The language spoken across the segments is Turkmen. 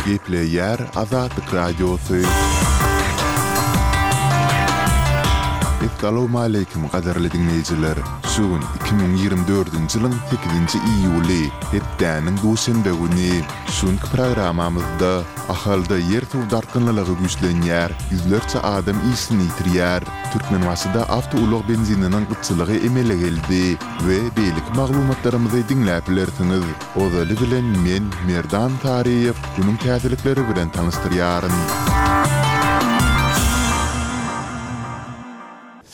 Gepleýär Azatlyk Radiosy. Essalawmaleýkim gadyrly diňleýjiler! Şu gün 2024-nji ýylyň sekizinji iýuly, hepdäniň duşenbe güni. Şu günki programmamyzda Ahalda ýer-suw dartgynlylygy güýçlenýär, ýüzlerçe adam işini ýitirýär, Türkmenbaşyda awtoulag benzininiň gytçylygy emele geldi we beýleki maglumatlarymyzy diňläp bilersiňiz. Ozaly bilen men, Merdan Saryýew, günüň täzelikleri bilen tanyşdyrýaryn.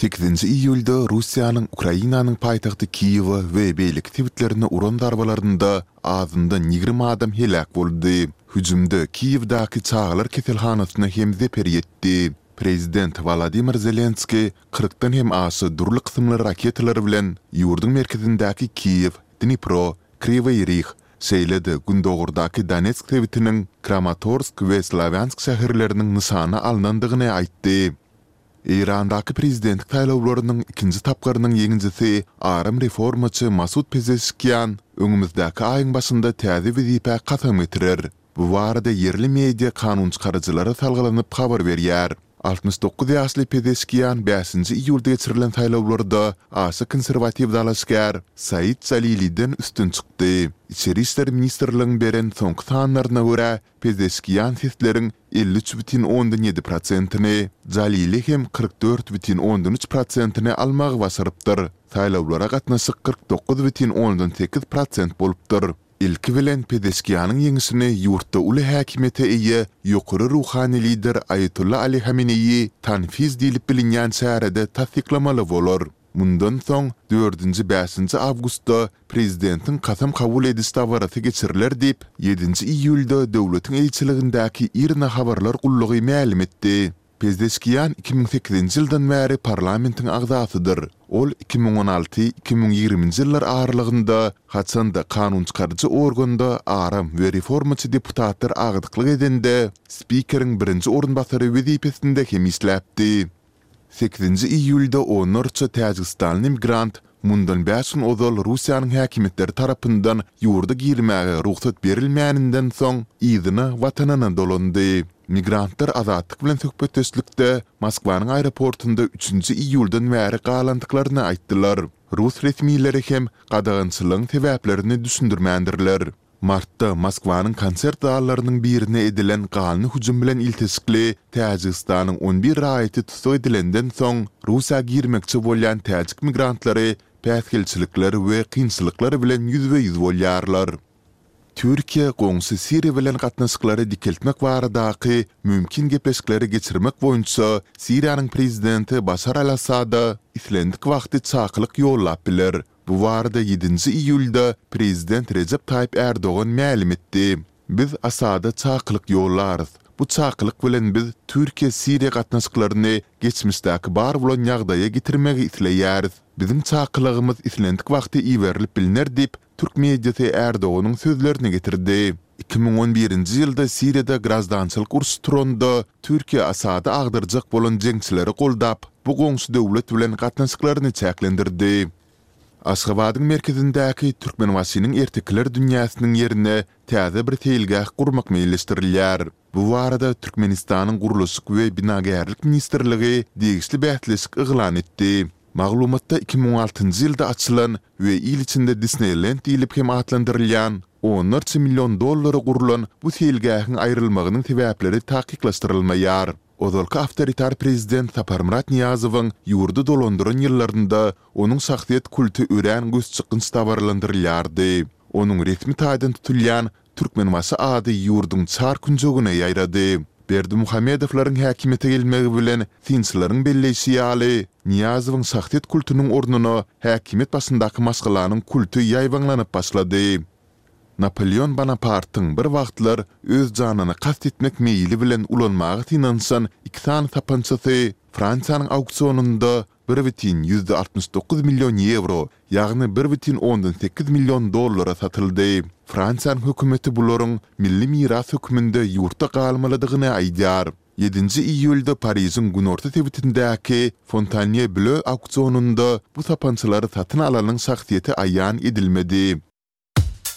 Sekizinji iýulda Russiýanyň Ukrainanyň paýtagty Kiýewe we beýleki sebitlerine uran zarbalarynda azyndan 20 adam heläk boldy. Hüjümde Kiýewdäki çagalar keselhanasyna hem zeper ýetdi. Prezident Wolodymyr Zelenskiý kyrkdan hem aşa dürli kysymly raketalar bilen ýurduň merkezindäki Kiýew, Dnipro, Kriwoý Rih, şeýle-de gündogardaky Donetsk sebitiniň Kramatorsk we Slawýansk şäherleriniň nyşana alnandygyny aýtdy. Eýrandaky prezidentlik saýlawlarynyň ikinji tapgyrynyň ýeňijisi aram reformaçy Masud Pezeşkian öňümizdäki aýyň başynda täze wezipä kasam getirer. Bu barada ýerli media kanunçykaryjylara salgylanyp habar berýär. 69 ýaşly Pezeşkian bäşinji iýulda geçirilen saýlawlarda aşa konserwatiw dalaşgär Said Jaliliden üstün çykdy. Içeri işler ministrligiň beren soňky sanlaryna görä, Pezeşkian sesleriň 53,7 prosentini, Jalili hem 44,3 prosentini almagy başarypdyr. Saýlawlara gatnaşyk 49,8 prosent bolupdyr. Ilki bilen Pezeşkianyň ýeňişini ýurtda uly häkimiýete eýe ýokary ruhany lider Aýatolla Ali Hameneýi Tanfiz diýlip bilinýän çärede tassyklamaly bolar. Mundan soň, dördünji-bäşinji awgustda prezidentiň kasam kabul ediş dabarasy geçiriler diýip, ýedinji iýulda döwletiň eýeçiligindäki IRNA habarlar gullugy mälim etdi. Pezeşkian 2008-nji ýyldan bäri parlamentiň agzasydyr. Ol 2016, 2020-nji ýyllar aralygynda, haçan-da kanunçykaryjy organda aram we reformaçy deputatlar agdyklyk edende, spikeriň birinji orunbasary wezipesinde hem işläpdi. Sekizinji iýulda onlarça täjigistanly migrant mundan bäş gün ozal Russiýanyň häkimiýetleri tarapyndan ýurda girmäge rugsat berilmäninden soň, yzyna watanyna dolandy. Migrantlar Azatlyk bilen söhbetdeşlikde Moskwanyň aeroportunda üçünji iýuldan bäri galandyklaryny aýtdylar. Rus resmileri hem gadagançylygyň sebäplerini düşündirmändirler. Martda Moskwanyň konsert zallarynyň birine edilen ganly hüjüm bilen ilteşikli Täjigistanyň on bir raýaty tussag edilenden soň, Russiýa girmekçi bolýan täjik migrantlary päsgelçilikler we kynçylyklar bilen ýüzbe-ýüz bolýarlar. Türkiýe goňşy Siriýa bilen gatnaşyklary dikeltmek baradaky mümkin gepleşikleri geçirmek boýunça Siriýanyň prezidenti Başar al-Assada islendik wagty çakylyk ýollap biler. Bu barada ýedinji iýulda prezident Rejep Taýyp Ärdogan mälim etdi. Biz Asada çakylyk ýollarys. Bu çakylyk bilen biz Türkiýe-Siriýa gatnaşyklaryny geçmişdäki bar bolan ýagdaýa getirmegi isleýäris. Biziň çakylygymyz islendik wagty iberilip bilner diýip, türk mediasy Ärdoganyň sözlerini getirdi. 2011-nji ýylda Siriýada graždançylyk urşy turanda, Türkiýe Asady agdarjak bolan jeňçileri goldap, bu goňşy döwlet bilen gatnaşyklaryny çäklendirdi. Aşgabadyň merkezindäki Türkmenbaşynyň ertekiler dünýäsiniň ýerine täze bir seýilgäh gurmak meýilleşdirilýär. Bu barada Türkmenistanyň Gurluşyk we binagärlik ministrligi degişli bäsleşik yglan etdi. Maglumatda 2006-njy ýylda açylan we il içinde Disneýlend diýlip hem atlandyrylýan, onlarça million dollara gurlan bu seýilgähiň aýrylmagynyň sebäpleri takyklaşdyrylmaýar. Ozalky awtoritar prezident Saparmyrat Nyýazowyň ýurdy dolandyran ýyllarynda onuň şahsyýet kulty örän gözçykgynç dabaralandyrylýardy. Onuň resmi taýdan tutulýan Türkmenbaşy ady ýurduň çar künjegine ýaýrady. Berdimuhamedowlaryň häkimiýete gelmegi bilen, synçylaryň belleýşi ýaly, Nyýazowyň şahsyýet kultunyň ornuna häkimiýet başyndaky maşgalanyň kulty ýaýbaňlanyp başlady. Napoleon Bonapartyň bir wagtlar öz janyna kast etmek meýili bilen ulanmaga synanyşan iki sany sapançasy Fransiýanyň auksionynda bir bütin ýüzde 69 million ýewro, ýagny bir bütin ondan sekiz million dollara satyldy. Fransiýanyň hökümeti bularyň milli miras hökmünde ýurtda galmalydygyny aýdýar. Ýedinji iýulda Parižiň günorta sebitindäki Fontanýeblö auksionynda bu sapançalary satyn alanyň şahsyýeti aýan edilmedi.